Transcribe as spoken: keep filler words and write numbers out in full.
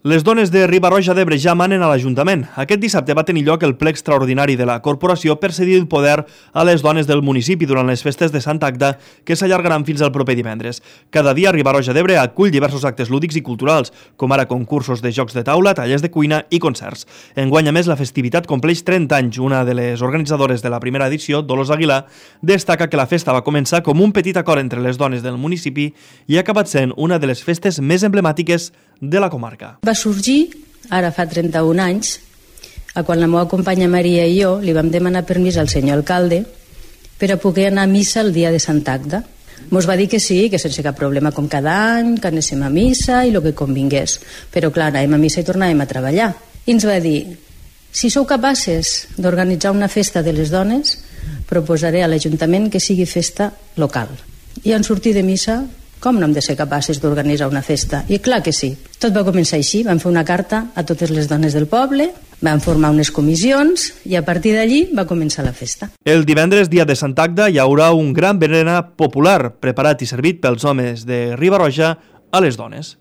Les dones de Riba-roja d'Ebre ja manen a l'Ajuntament. Aquest dissabte va tenir lloc el ple extraordinari de la corporació per cedir el poder a les dones del municipi durant les festes de Santa Agda, que s'allargaran fins al proper divendres. Cada dia Riba-roja d'Ebre acull diversos actes lúdics i culturals, com ara concursos de jocs de taula, tallers de cuina i concerts. Enguany, a més, la festivitat compleix trenta anys. Una de les organitzadores de la primera edició, Dolors Aguilar, destaca que la festa va començar com un petit acord entre les dones del municipi i ha acabat sent una de les festes més emblemàtiques de la comarca. Va sorgir, ara fa trenta-un anys, a quan la meva companya Maria i jo li vam demanar permís al senyor alcalde per a poder anar a missa el dia de Santa Agda. Mos va dir que sí, que sense cap problema com cada any, que anéssim a missa i el que convingués. Però clar, anàvem a missa i tornàvem a treballar. I ens va dir, si sou capaces d'organitzar una festa de les dones, proposaré a l'Ajuntament que sigui festa local. I en sortir de missa, com no hem de ser capaces d'organitzar una festa? I clar que sí. Tot va començar així. Vam fer una carta a totes les dones del poble, vam formar unes comissions i a partir d'allí va començar la festa. El divendres, dia de Santa Agda, hi haurà un gran berenar popular preparat i servit pels homes de Riba-roja a les dones.